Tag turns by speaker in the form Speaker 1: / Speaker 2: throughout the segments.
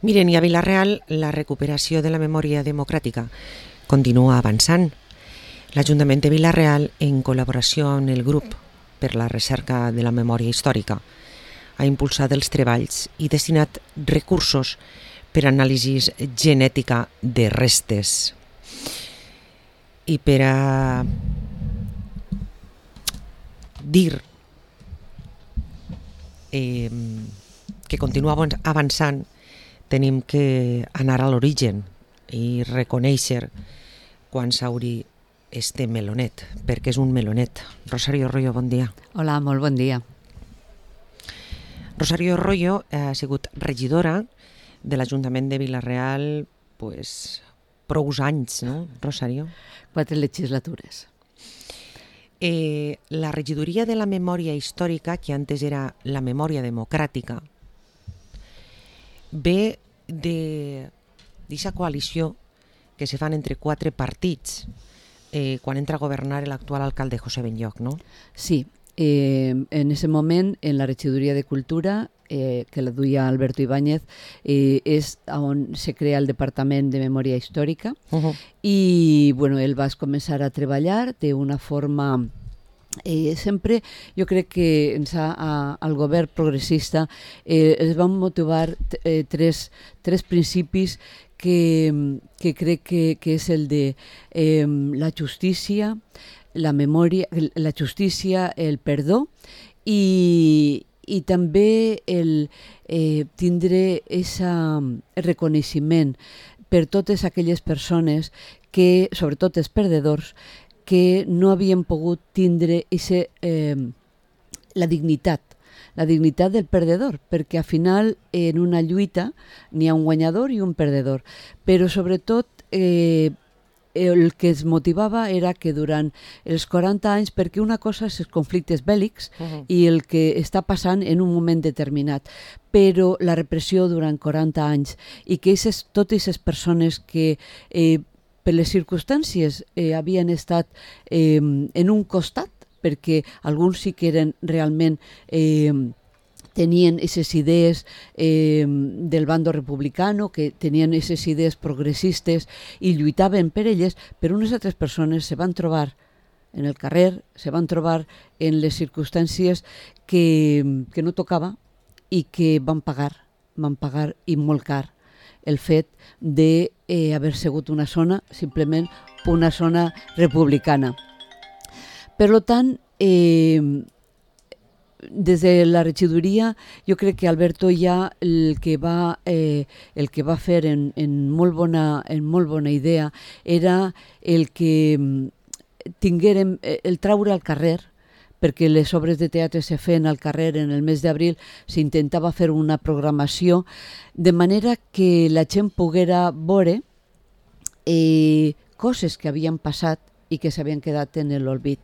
Speaker 1: Miren, i a Vila-real la recuperació de la memòria democràtica continua avançant. L'Ajuntament de Vila-real, en col·laboració amb el grup per la recerca de la memòria històrica, ha impulsat els treballs i destinat recursos per a anàlisi genètica de restes. I per a dir que continua avançant, tenim que anar a l'origen i reconèixer quan s'hauri este melonet, perquè és un melonet. Rosario Royo, bon dia.
Speaker 2: Hola, molt bon dia.
Speaker 1: Rosario Royo ha sigut regidora de l'Ajuntament de Vila-real prou anys, no, Rosario?
Speaker 2: 4 legislatures.
Speaker 1: La regidoria de la memòria històrica, que antes era la memòria democràtica, ve d'aquesta coalició que se fan entre 4 partits quan entra a governar l'actual alcalde José Benlloch, no?
Speaker 2: Sí, en ese moment, en la regidoria de Cultura, que la duia Alberto Ibáñez, és on se crea el Departament de Memòria Històrica i bueno, ell va començar a treballar d'una forma... sempre jo crec que al govern progressista es van motivar tres principis que crec que és el de la justícia, la memòria, la justícia, el perdó i també el tindre el reconeixement per totes aquelles persones que, sobretot els perdedors, que no havien pogut tindre la dignitat del perdedor, perquè al final en una lluita n'hi ha un guanyador i un perdedor, però sobretot el que es motivava era que durant els 40 anys, perquè una cosa és els conflictes bèl·lics i el que està passant en un moment determinat, però la repressió durant 40 anys i que totes les persones que per les circumstàncies havien estat en un costat, perquè alguns sí que eren realment tenien aquestes idees del bando republicano, que tenien aquestes idees progressistes i lluitaven per elles, però unes altres persones se van trobar en el carrer, se van trobar en les circumstàncies que no tocava i que van pagar i molt car el fet d'haver sigut una zona, simplement una zona republicana. Per tant, des de la regidoria, jo crec que Alberto ja el que va fer en molt bona idea era el que tinguérem, el traure al carrer, perquè les obres de teatre se feien al carrer en el mes d'abril, s'intentava fer una programació de manera que la gent poguera veure coses que havien passat i que s'havien quedat en l'olvid.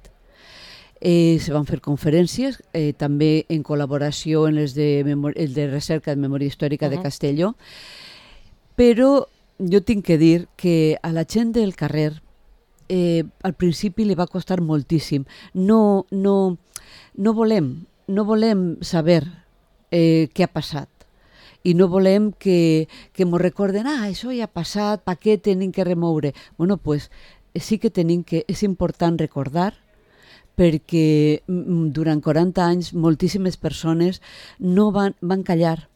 Speaker 2: Se van fer conferències, també en col·laboració amb els de recerca de memòria històrica de Castelló, però jo tinc que dir que a la gent del carrer al principi li va costar moltíssim. No volem saber què ha passat i no volem que ens recorden això ja ha passat, per què tenim que remoure? Bueno, pues sí que és important recordar, perquè durant 40 anys moltíssimes persones no van callar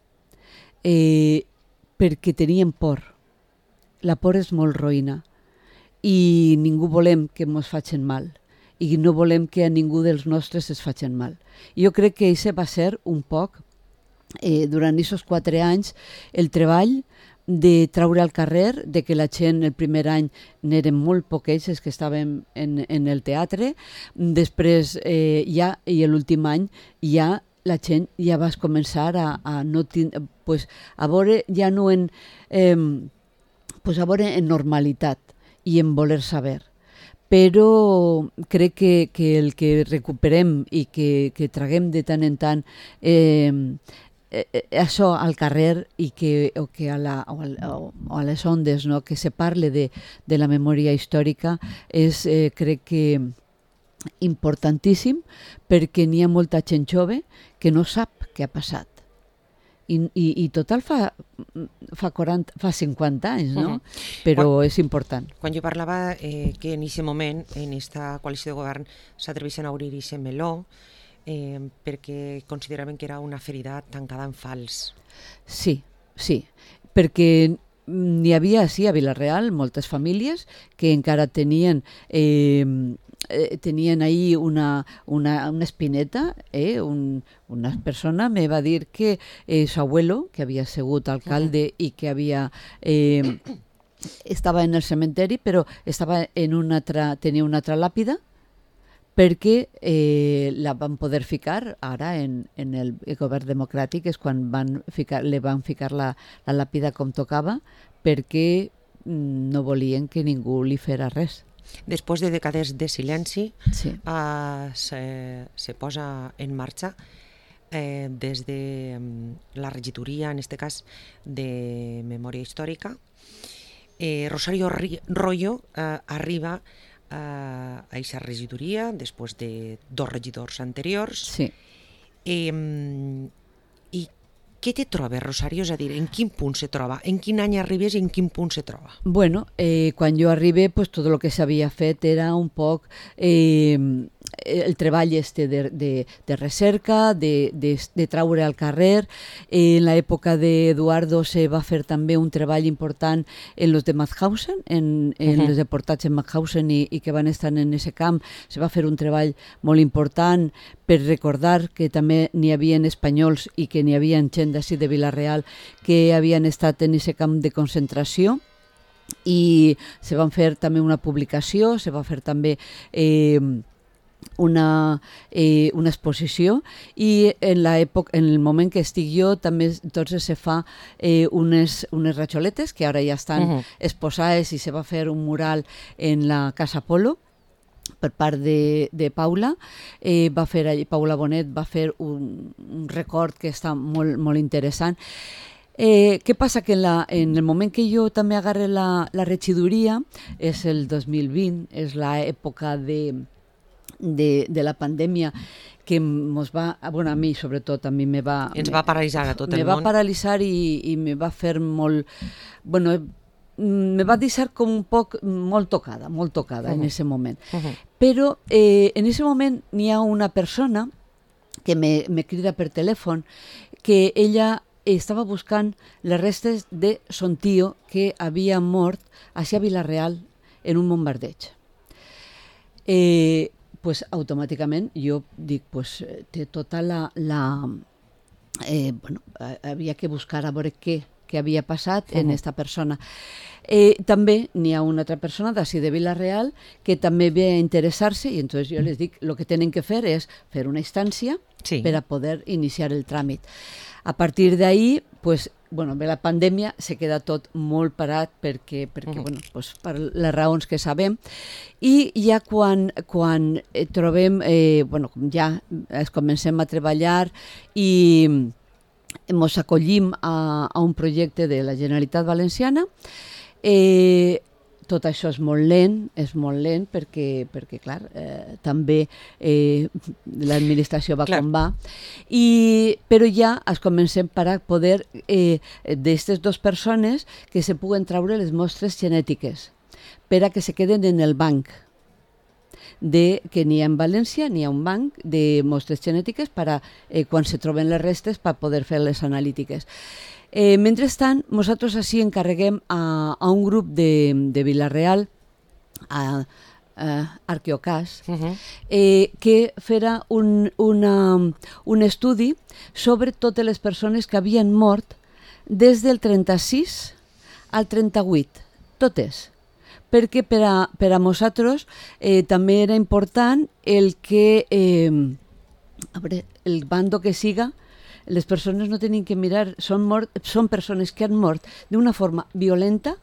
Speaker 2: perquè tenien por. La por és molt roïna i ningú volem que ens facin mal i no volem que a ningú dels nostres es facin mal. I jo crec que això va ser un poc, durant aquests 4 anys, el treball de treure al carrer, de que la gent el primer any n'eren molt poquets els que estàvem en el teatre, després ja, i l'últim any ja la gent ja va començar a no tindre, a veure ja no a veure en normalitat i en voler saber. Però crec que el que recuperem i que traguem de tant en tant això al carrer i a les ondes, no? Que se parle de la memòria històrica és, crec que, importantíssim, perquè n'hi ha molta gent jove que no sap què ha passat, I total fa 50 anys, no? Però és important.
Speaker 1: Quan jo parlava que en aquest moment, en aquesta coalició de govern, s'atreveixen a obrir aquest meló perquè consideraven que era una ferida tancada en fals.
Speaker 2: Sí, perquè n'hi havia, sí, a Vila-real, moltes famílies que encara tenien ahí una espineta. Una persona me va dir que su abuelo, que havia sigut alcalde i que estava en el cementeri, però tenia una altra làpida, perquè la van poder ficar ara en el govern democràtic, és quan li van ficar la làpida com tocava, perquè no volien que ningú li fera res.
Speaker 1: Després de dècades de silenci,
Speaker 2: sí.
Speaker 1: se posa en marxa des de la regidoria, en aquest cas, de Memòria Històrica. Rosario Royo arriba a aquesta regidoria després de 2 regidors anteriors.
Speaker 2: Sí.
Speaker 1: I què te trobes, Rosario? És a dir, en quin punt se troba? En quin any arribes i en quin punt se troba?
Speaker 2: Bueno, quan jo arribé, pues, tot el que s'havia fet era un poc el treball de recerca, de traure al carrer. En l'època d'Eduardo se va fer també un treball important en los de Mauthausen, en els deportats en Mauthausen i que van estar en ese camp. Se va fer un treball molt important per recordar que també n'hi havia espanyols i que n'hi havia gent d'ací de Vila-real que havien estat en ese camp de concentració. I se van fer també una publicació, se va fer també una exposició, i en el moment que estic jo també entonces se fa unes rajoletes que ara ja estan exposades, i se va fer un mural en la Casa Polo per part de Paula. Paula Bonet va fer un record que està molt, molt interessant. Què passa? Que en el moment que jo també agarré la regidoria, és el 2020, és l'època de la pandèmia, que mos va, bueno, a mi sobretot,
Speaker 1: ens va paralitzar a tot el món.
Speaker 2: Me va paralitzar i me va fer molt, bueno, me va deixar com un poc molt tocada en ese moment. Però en ese moment n'hi ha una persona que me crida per telèfon, que ella estava buscant les restes de son tio que havia mort a Vila-real en un bombardeig. Pues automàticament jo dic, pues té tota bueno, havia que buscar a veure què havia passat en esta persona. També n'hi ha una altra persona d'ací de Vila-real que també ve a interessar-se, i entonces jo les dic, el que tenen que fer és fer una instància per a poder iniciar el tràmit. A partir d'ahí, pues, bueno, ve la pandèmia, se queda tot molt parat perquè bueno, pues, per les raons que sabem, i ja quan trobem, bueno, ja es comencem a treballar i ens acollim a un projecte de la Generalitat Valenciana. Tot això és molt lent perquè clar, també l'administració va com va, però ja es comencem per poder d'aquestes 2 persones que se puguen traure les mostres genètiques per a que se queden en el banc, que n'hi ha en València, n'hi ha un banc de mostres genètiques per a quan se troben les restes per poder fer les analítiques. Mentrestant, nosaltres així encarreguem a un grup de Vila-real, a Arqueocas, que farà un estudi sobre totes les persones que havien mort des del 36 al 38, totes. Perquè per a nosaltres també era important el que el bando que siga, les persones no tenen que mirar, són persones que han mort d'una forma violenta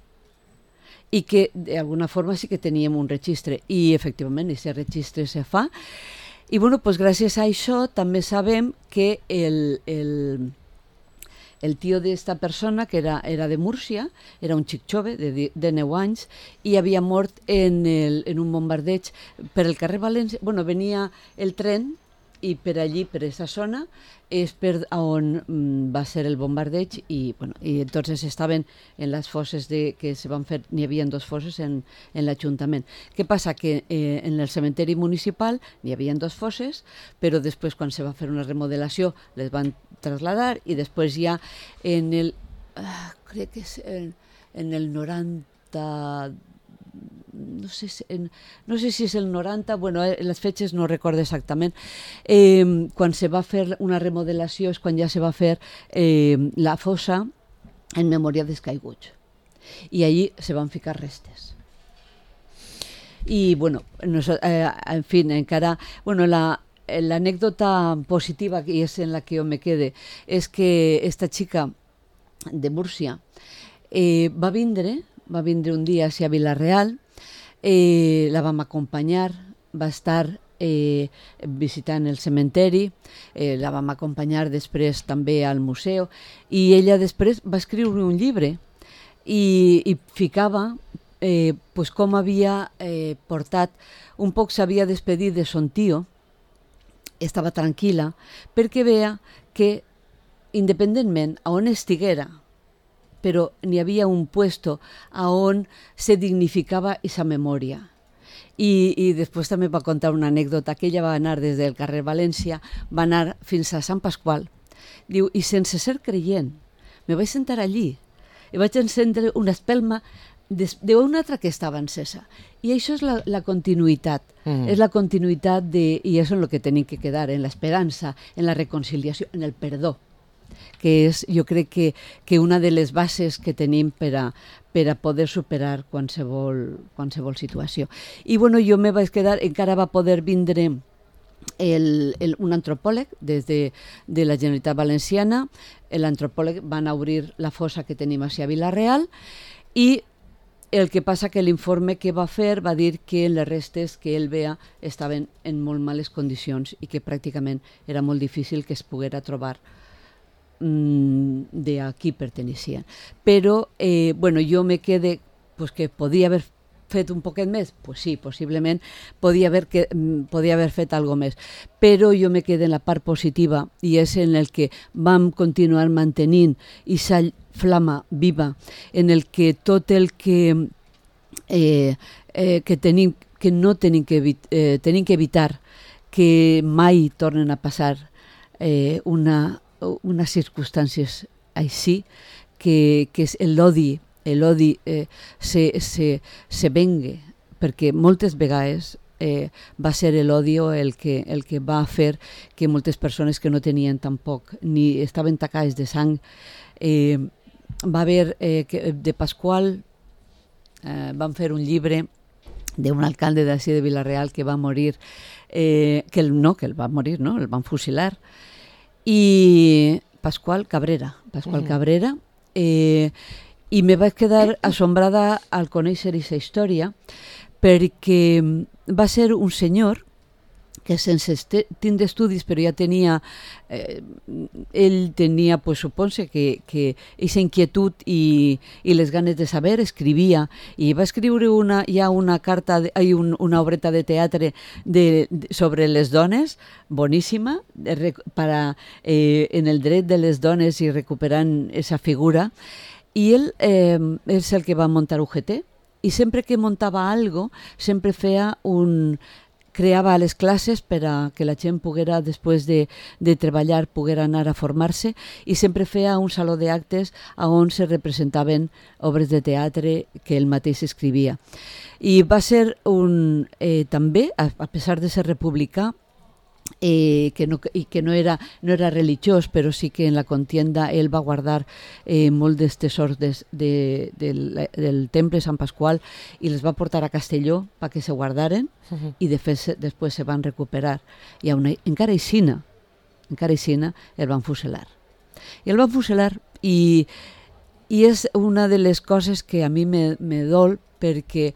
Speaker 2: i que d'alguna forma sí que teníem un registre, i efectivament aquest registre se fa. I bueno, pues gràcies a això també sabem que el tio d'esta persona, que era de Múrcia, era un xic jove de 9 anys i havia mort en un bombardeig per el carrer València. Bueno, venia el tren i per allí, per aquesta zona, és per on va ser el bombardeig i, bueno, i entonces estaven en les fosses que se van fer, n'hi havia 2 fosses en l'Ajuntament. Què passa? Que en el cementeri municipal n'hi havia 2 fosses, però després quan se va fer una remodelació les van trasladar i després ja en el, crec que és en el 90, no sé si és el 90, bueno, les fetges no recordo exactament, quan se va fer una remodelació és quan ja se va fer la fossa en memòria dels caiguts i allí se van ficar restes. I bueno, en fi, encara, bueno, l'anècdota positiva, i és en la que jo me quede, és que esta xica de Múrcia va vindre un dia a Vila-real, la vam acompanyar, va estar visitant el cementeri, la vam acompanyar després també al museu i ella després va escriure un llibre i ficava pues com havia portat, un poc s'havia despedit de son tio, estava tranquil·la perquè veia que independentment a on estiguera, però n'hi havia un puesto a on se dignificava aquesta memòria. I després també va contar una anècdota, que ella va anar des del carrer València, va anar fins a Sant Pasqual. Diu, i sense ser creient, me vaig sentar allí i vaig encendre una espelma d'una altra que estava encesa. I això és la continuïtat, és la continuïtat i és en el que tenim que quedar, en l'esperança, en la reconciliació, en el perdó, que és, jo crec que una de les bases que tenim per a poder superar qualsevol situació. I bueno, jo me vaig quedar, encara va poder vindre un antropòleg de la Generalitat Valenciana, l'antropòleg van obrir la fossa que tenim a Vila-real i el que passa que l'informe que va fer va dir que les restes que ell veia estaven en molt males condicions i que pràcticament era molt difícil que es poguera trobar de a qui pertenecien. Però, bueno, jo me quede pues, que podia haver fet un poquet més? Pues sí, possiblement podia haver fet algo més. Però jo me quede en la part positiva i és en el que vam continuar mantenint aquesta flama viva, en el que tot el que no tenim que evitar que mai tornen a passar unes circumstàncies així, que és l'odi se vengue, perquè moltes vegades va ser l'odi el que va fer que moltes persones que no tenien tampoc, ni estaven tacades de sang, va haver de Pasqual, van fer un llibre d'un alcalde d'ací de Vila-real que va morir, el van fusilar, i Pasqual Cabrera, i me vaig quedar assombrada al conèixer aquesta història perquè va ser un senyor que sense tindre estudis, però ja tenia, ell tenia, pues, suponse que aquesta inquietud i les ganes de saber, escrivia, i va escriure una obreta de teatre sobre les dones, boníssima, en el dret de les dones i recuperant aquesta figura, i ell és el que va muntar UGT, i sempre que muntava algo, sempre creava les classes per a que la gent poguera, després de treballar, poguera anar a formar-se, i sempre feia un saló d'actes on se representaven obres de teatre que ell mateix escrivia. I va ser també, a pesar de ser republicà, que no era religiós, però sí que en la contienda ell va guardar molt dels tesors del temple Sant Pasqual i les va portar a Castelló perquè se guardaren i després se van recuperar. I encara aixina el van fusilar. I el van fusilar i és una de les coses que a mi me dol perquè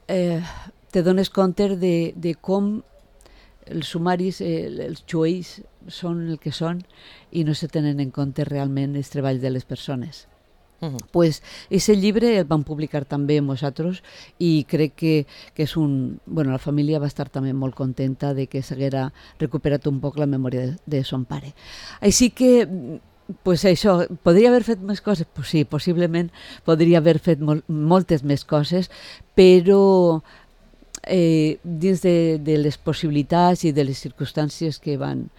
Speaker 2: te dones compte de com els sumaris, els jueus són el que són i no se tenen en compte realment els treballs de les persones. Pues ese llibre el van publicar també amb nosaltres i crec que és un... Bueno, la família va estar també molt contenta de que s'haguera recuperat un poc la memòria de son pare. Així que, pues això, podria haver fet més coses? Pues sí, possiblement podria haver fet moltes més coses, però dins de les possibilitats i de les circumstàncies que van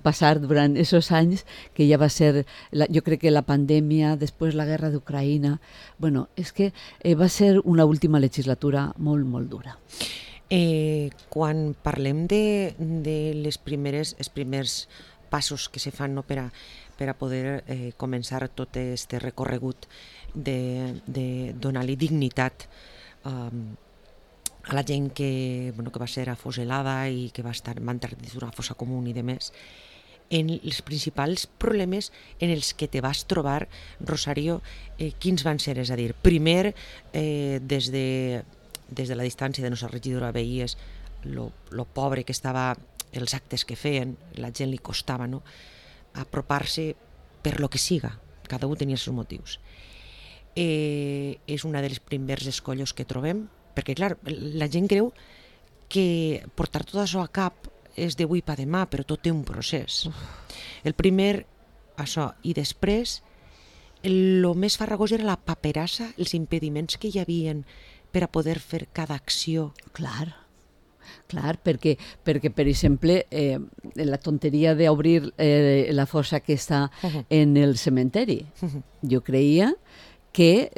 Speaker 2: passar durant aquests anys, que ja va ser, jo crec que la pandèmia, després la guerra d'Ucraïna, bueno, és que va ser una última legislatura molt, molt dura.
Speaker 1: Quan parlem de els primers passos que se fan, no, per a poder començar tot aquest recorregut de donar-li dignitat a la gent que va ser afuselada i que van estar dins d'una fossa comuna i demés, en els principals problemes en els que te vas trobar, Rosario, quins van ser? És a dir, primer, des de la distància de nostra regidora veies lo pobre que estava, els actes que feien, la gent li costava, no?, apropar-se per lo que siga, cada un tenia els seus motius. És una de les primers escollos que trobem, perquè, clar, la gent creu que portar tot això a cap és d'avui per demà, però tot té un procés. El primer, això, i després, el més farragós era la paperassa, els impediments que hi havien per a poder fer cada acció.
Speaker 2: Clar, perquè per exemple, la tonteria d'obrir la fossa que està en el cementeri, jo creia que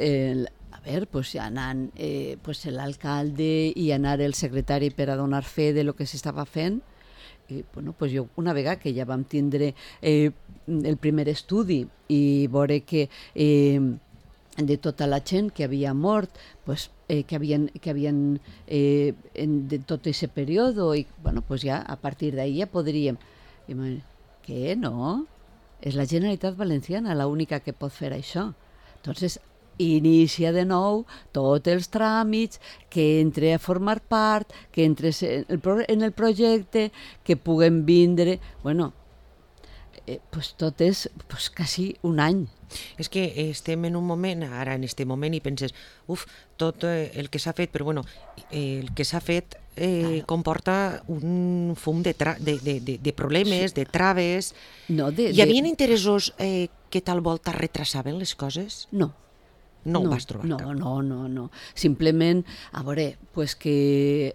Speaker 2: pues anant l'alcalde i anar el secretari per a donar fe de lo que s'estava fent, bueno, pues jo una vegada que ja vam tindre el primer estudi i veure que de tota la gent que havia mort, pues, que havien de tot aquest període, i bueno, pues ja a partir d'ahí ja podríem... Què? No? És la Generalitat Valenciana l'única que pot fer això. Entonces, inicia de nou tots els tràmits, que entre a formar part, que entres en el projecte, que puguem vindre... Bueno, pues tot és quasi un any.
Speaker 1: És que estem en un moment, ara en este moment, i penses, tot el que s'ha fet, però bueno, el que s'ha fet comporta un fum de problemes, de traves. Hi havia interessos que tal volta retrasaven les coses?
Speaker 2: No.
Speaker 1: No ho vas trobar cap?
Speaker 2: No. Simplement, a veure, pues que...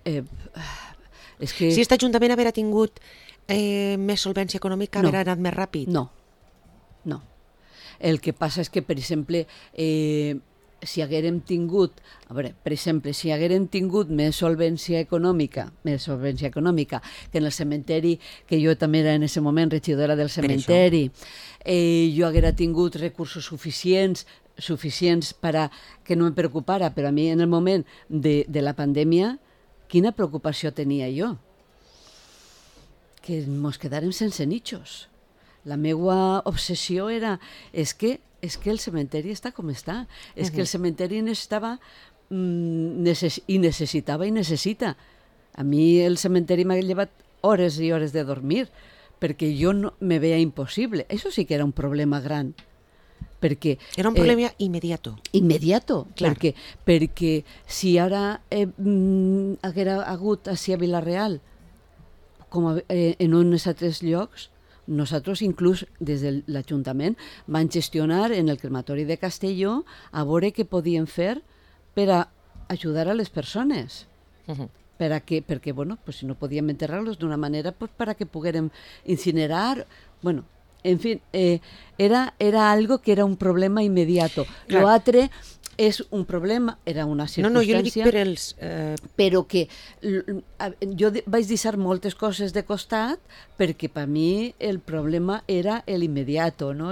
Speaker 2: és que...
Speaker 1: Si aquest Ajuntament haguera tingut més solvència econòmica, haguera anat més ràpid?
Speaker 2: No. El que passa és que, per exemple, si haguérem tingut, si haguérem tingut més solvència econòmica que en el cementeri, que jo també era en aquest moment regidora del cementeri, jo haguera tingut recursos suficients per a que no em preocupara, però a mi en el moment de la pandèmia, quina preocupació tenia jo? Que ens quedàrem sense nichos. La meva obsessió era és que el cementeri està com està, és que el cementeri necessitava i necessita. A mi el cementeri m'ha llevat hores i hores de dormir, perquè jo no me veia impossible. Això sí que era un problema gran.
Speaker 1: Era un problema immediato.
Speaker 2: Clar. Perquè si ara haguera hagut així a Vila-real, com en uns altres llocs, nosaltres inclús des de l'Ajuntament vam gestionar en el crematori de Castelló a veure què podíem fer per a ajudar a les persones. Perquè bueno, pues si no podíem enterrar-los d'una manera, pues para que poguérem incinerar, bueno, en fin, era algo que era un problema inmediato. Lo altre és un problema, era una circumstància...
Speaker 1: No, jo li dic per els...
Speaker 2: Però que jo vaig deixar moltes coses de costat perquè per mi el problema era l'immediato, no?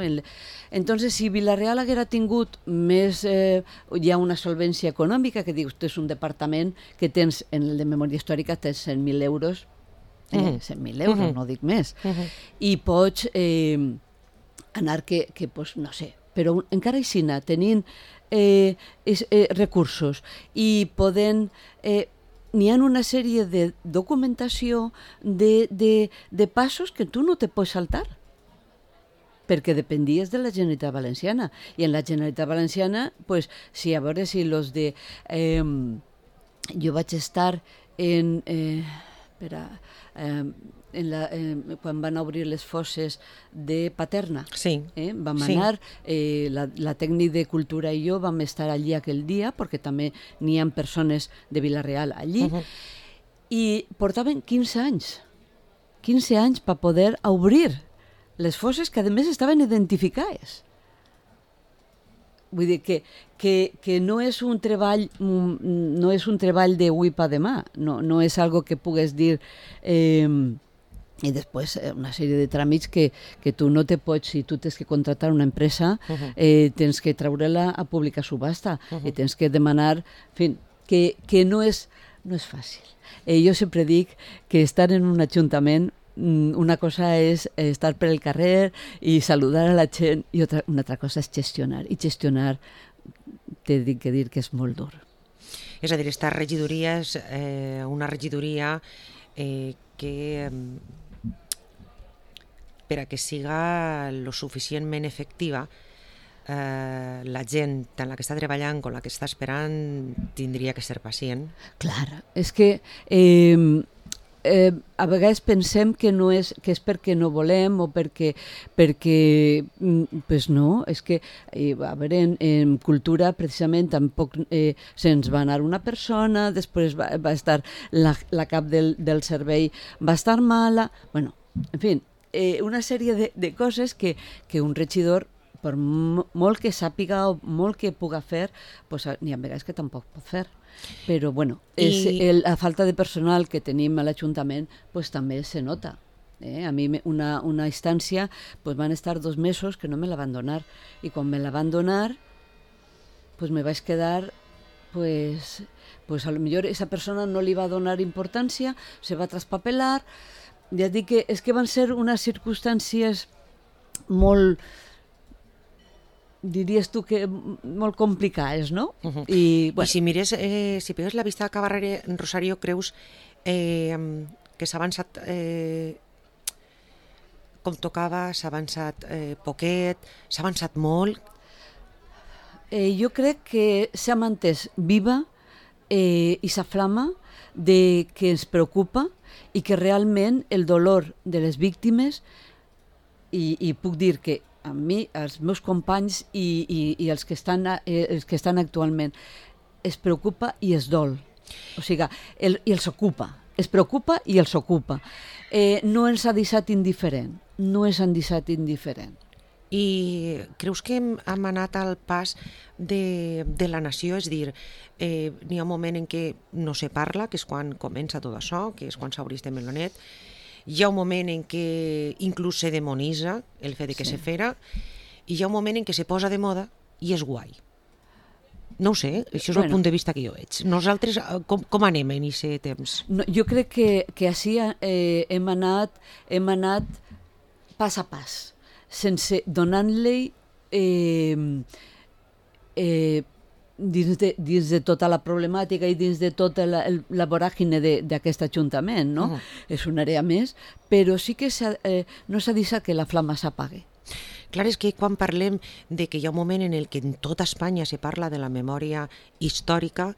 Speaker 2: Entonces, si Vila-real haguera tingut més ja una solvència econòmica, que dius, és un departament que tens, en el de memòria històrica, tens 100.000 euros, 100.000 euros, no dic més, i pots anar que pues, no sé, però encara així tenint recursos i poden... n'hi ha una sèrie de documentació de passos que tu no te pots saltar. perquè dependies de la Generalitat Valenciana. I en la Generalitat Valenciana, pues, sí, a veure si los de... jo vaig estar en... quan van obrir les fosses de Paterna.
Speaker 1: Sí.
Speaker 2: Vam anar, la tècnic de cultura i jo vam estar allí aquell dia, perquè també n'hi ha persones de Vila-real allí, i portaven 15 anys. 15 anys per poder obrir les fosses que a més estaven identificades. Vull dir que no és un treball d'avui per demà, no és algo que pugues dir i després una sèrie de tràmits que tu no te pots, si tu tens que contractar una empresa, tens que treure-la a pública subhasta i tens que demanar, en fi, que no és fàcil. Jo sempre dic que estar en un ajuntament, una cosa és estar per el carrer i saludar a la gent i una altra cosa és gestionar. I gestionar, t'he de dir que és molt dur.
Speaker 1: És a dir, esta regidoria és una regidoria que per a que siga lo suficientment efectiva la gent en la que està treballant, con la que està esperant, tindria que ser pacient.
Speaker 2: Clar, és que a vegades pensem que és perquè no volem o perquè pues no, és que a veure, en cultura precisament tampoc se'ns va anar una persona, després va estar la cap del servei va estar mala, bueno, en fi, una sèrie de coses que un regidor, per molt que sàpiga o molt que puga fer, pues, n'hi ha vegades que tampoc pot fer. Però, bueno, la falta de personal que tenim a l'Ajuntament pues, també se nota. A mi una instància pues, van estar 2 mesos que no me la van donar. I quan me la van donar, pues, me vaig quedar... Pues a lo millor esa persona no li va donar importància, se va traspapelar. Ja dic que és que van ser unes circumstàncies molt... diries tu que molt complicades, no?
Speaker 1: I si mires, si pegues la vista a Cabarrere, Rosario, creus que s'ha avançat com tocava, s'ha avançat poquet, s'ha avançat molt?
Speaker 2: Jo crec que s'ha mantès viva i sa flama de que ens preocupa i que realment el dolor de les víctimes, i puc dir que a mi, els meus companys i els que estan actualment, es preocupa i es dol. O sigui, i els ocupa. Es preocupa i els ocupa. No ens ha deixat indiferent. No ens han deixat indiferent.
Speaker 1: I creus que hem anat al pas de la nació? És dir, n'hi ha un moment en què no se parla, que és quan comença tot això, que és quan s'obre este melonet. Hi ha un moment en què inclús se demonitza el fet de que se fera, i hi ha un moment en què se posa de moda i és guai. No ho sé, això és el punt de vista que jo veig. Nosaltres com anem en aquest temps?
Speaker 2: No, jo crec que així hem anat pas a pas, sense donant-li dins de tota la problemàtica i dins de tota la voràgine d'aquest Ajuntament, no? És una àrea més, però sí que no s'ha deixat que la flama s'apague.
Speaker 1: Clar, és que quan parlem de que hi ha un moment en el que en tota Espanya se parla de la memòria històrica,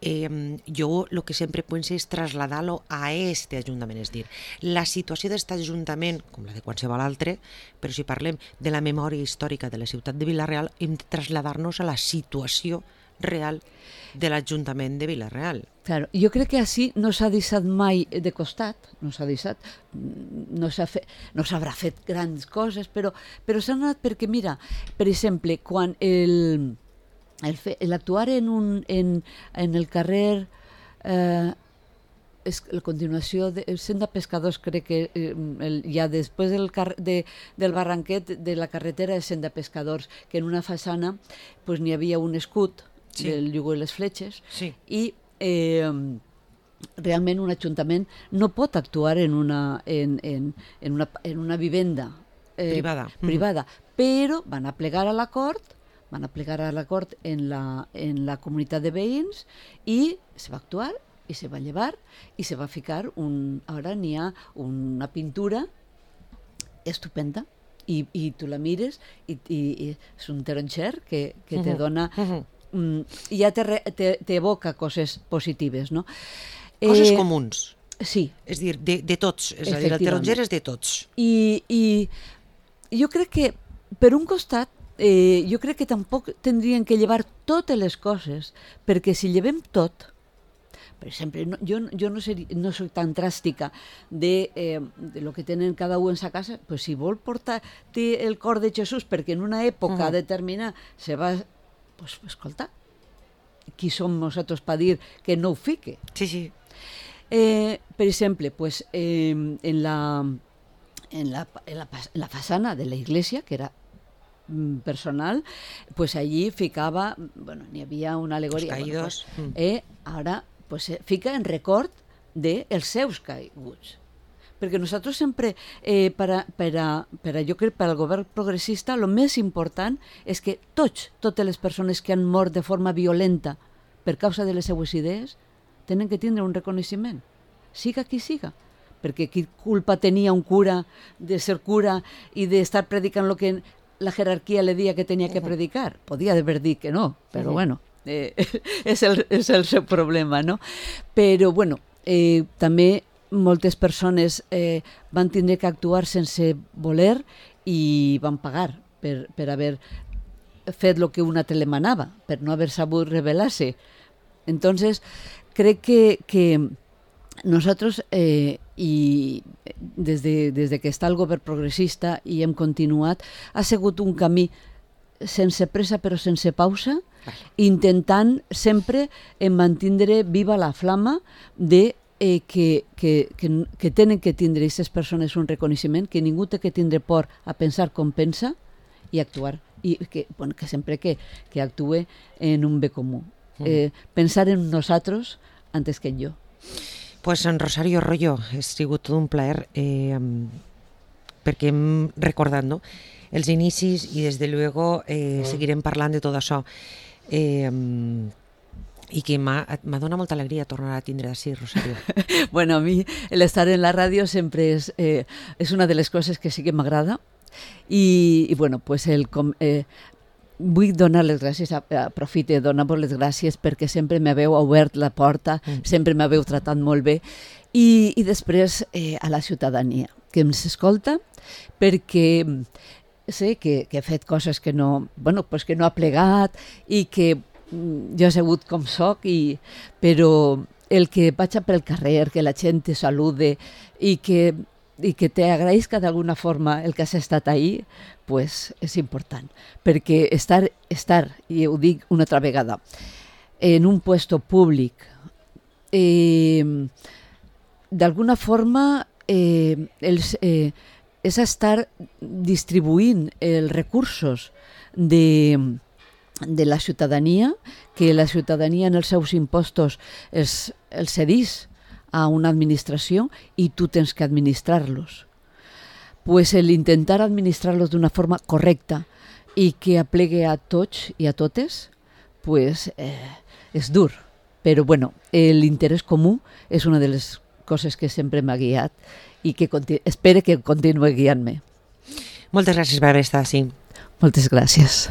Speaker 1: jo el que sempre penso és traslladar-lo a este Ajuntament, és dir, la situació d'aquest Ajuntament, com la de qualsevol altre, però si parlem de la memòria històrica de la ciutat de Vila-real, hem de traslladar-nos a la situació real de l'Ajuntament de Vila-real.
Speaker 2: Claro, jo crec que així no s'ha deixat mai de costat, no s'haurà fet grans coses, però s'ha anat perquè, mira, per exemple, quan l'actuar en el carrer, la continuació del Senda Pescadors, crec que ja després del barranquet de la carretera de Senda Pescadors, que en una façana n'hi havia un escut del Yugo i les fletxes, i realment un ajuntament no pot actuar en una vivenda privada, però van a plegar a l'acord en la comunitat de veïns i se va actuar i se va llevar i se va ficar ara n'hi ha una pintura estupenda i tu la mires i és un taronxer que te dona... I ja t'evoca coses positives, no?
Speaker 1: Coses comuns.
Speaker 2: Sí.
Speaker 1: És a dir, de tots. És a dir, el taronger és de tots.
Speaker 2: I jo crec que, per un costat, jo crec que tampoc tindrien que llevar totes les coses, perquè si llevem tot, per exemple, jo no soy tan dràstica de lo que tenen cada un en sa casa, pues si vol portar el cor de Jesús perquè en una època determinada se va... Pues escolta, qui som nosaltres per dir que no ho fique?
Speaker 1: Sí, sí.
Speaker 2: Per exemple, pues, en la façana de la iglesia, que era personal, pues allí ficava, bueno, n'hi havia una alegoria.
Speaker 1: Els caídos.
Speaker 2: Bueno, pues, ara pues, fica en record dels seus caiguts. Perquè nosaltres sempre, jo crec, per al govern progressista, el més important és que totes les persones que han mort de forma violenta per causa de les seues idees tenen que tindre un reconeixement, siga qui siga. Perquè qui culpa tenia un cura de ser cura i d'estar predicant el que la jerarquia le dia que tenia que predicar? Podia haver dit que no, però bueno, és el seu problema, no? Però, bueno, també moltes persones van tindre que actuar sense voler i van pagar per haver fet el que un altre li manava, per no haver sabut rebel·lar-se. Entonces, crec que nosaltres, i des que està el govern progressista i hem continuat, ha sigut un camí sense pressa però sense pausa, intentant sempre mantindre viva la flama de que tenen que tindre aquestes persones un reconeixement, que ningú té que tindre por a pensar com pensa i actuar, i que sempre que actue en un bé comú. Pensar en nosaltres antes que en jo.
Speaker 1: Pues en Rosario Royo, ha sigut tot un plaer perquè hem recordat, no?, els inicis i des de luego seguirem parlant de tot això. I que m'ha donat molta alegria tornar a tindre d'ací, Rosario.
Speaker 2: Bueno, a mi l'estar en la ràdio sempre és una de les coses que sí que m'agrada i bueno, pues vull donar les gràcies, aprofite de donar-vos les gràcies perquè sempre m'haveu obert la porta, sempre m'haveu tratat molt bé i després a la ciutadania que ens escolta, perquè sé que he fet coses que no, bueno, pues que no ha plegat i que jo he sigut com soc, però el que vaig per el carrer, que la gent te salude i que te agraïsca d'alguna forma el que has estat ahí, pues és important. Perquè estar, i ho dic una altra vegada, en un puesto públic, d'alguna forma és estar distribuint els recursos de la ciutadania, que la ciutadania en els seus impostos els cedís a una administració i tu tens que administrar-los. Pues el intentar administrar-los d'una forma correcta i que aplegue a tots i a totes, pues és dur. Però bueno, l'interès comú és una de les coses que sempre m'ha guiat i que espero que continuï guiant-me.
Speaker 1: Moltes gràcies per haver estat així.
Speaker 2: Moltes gràcies.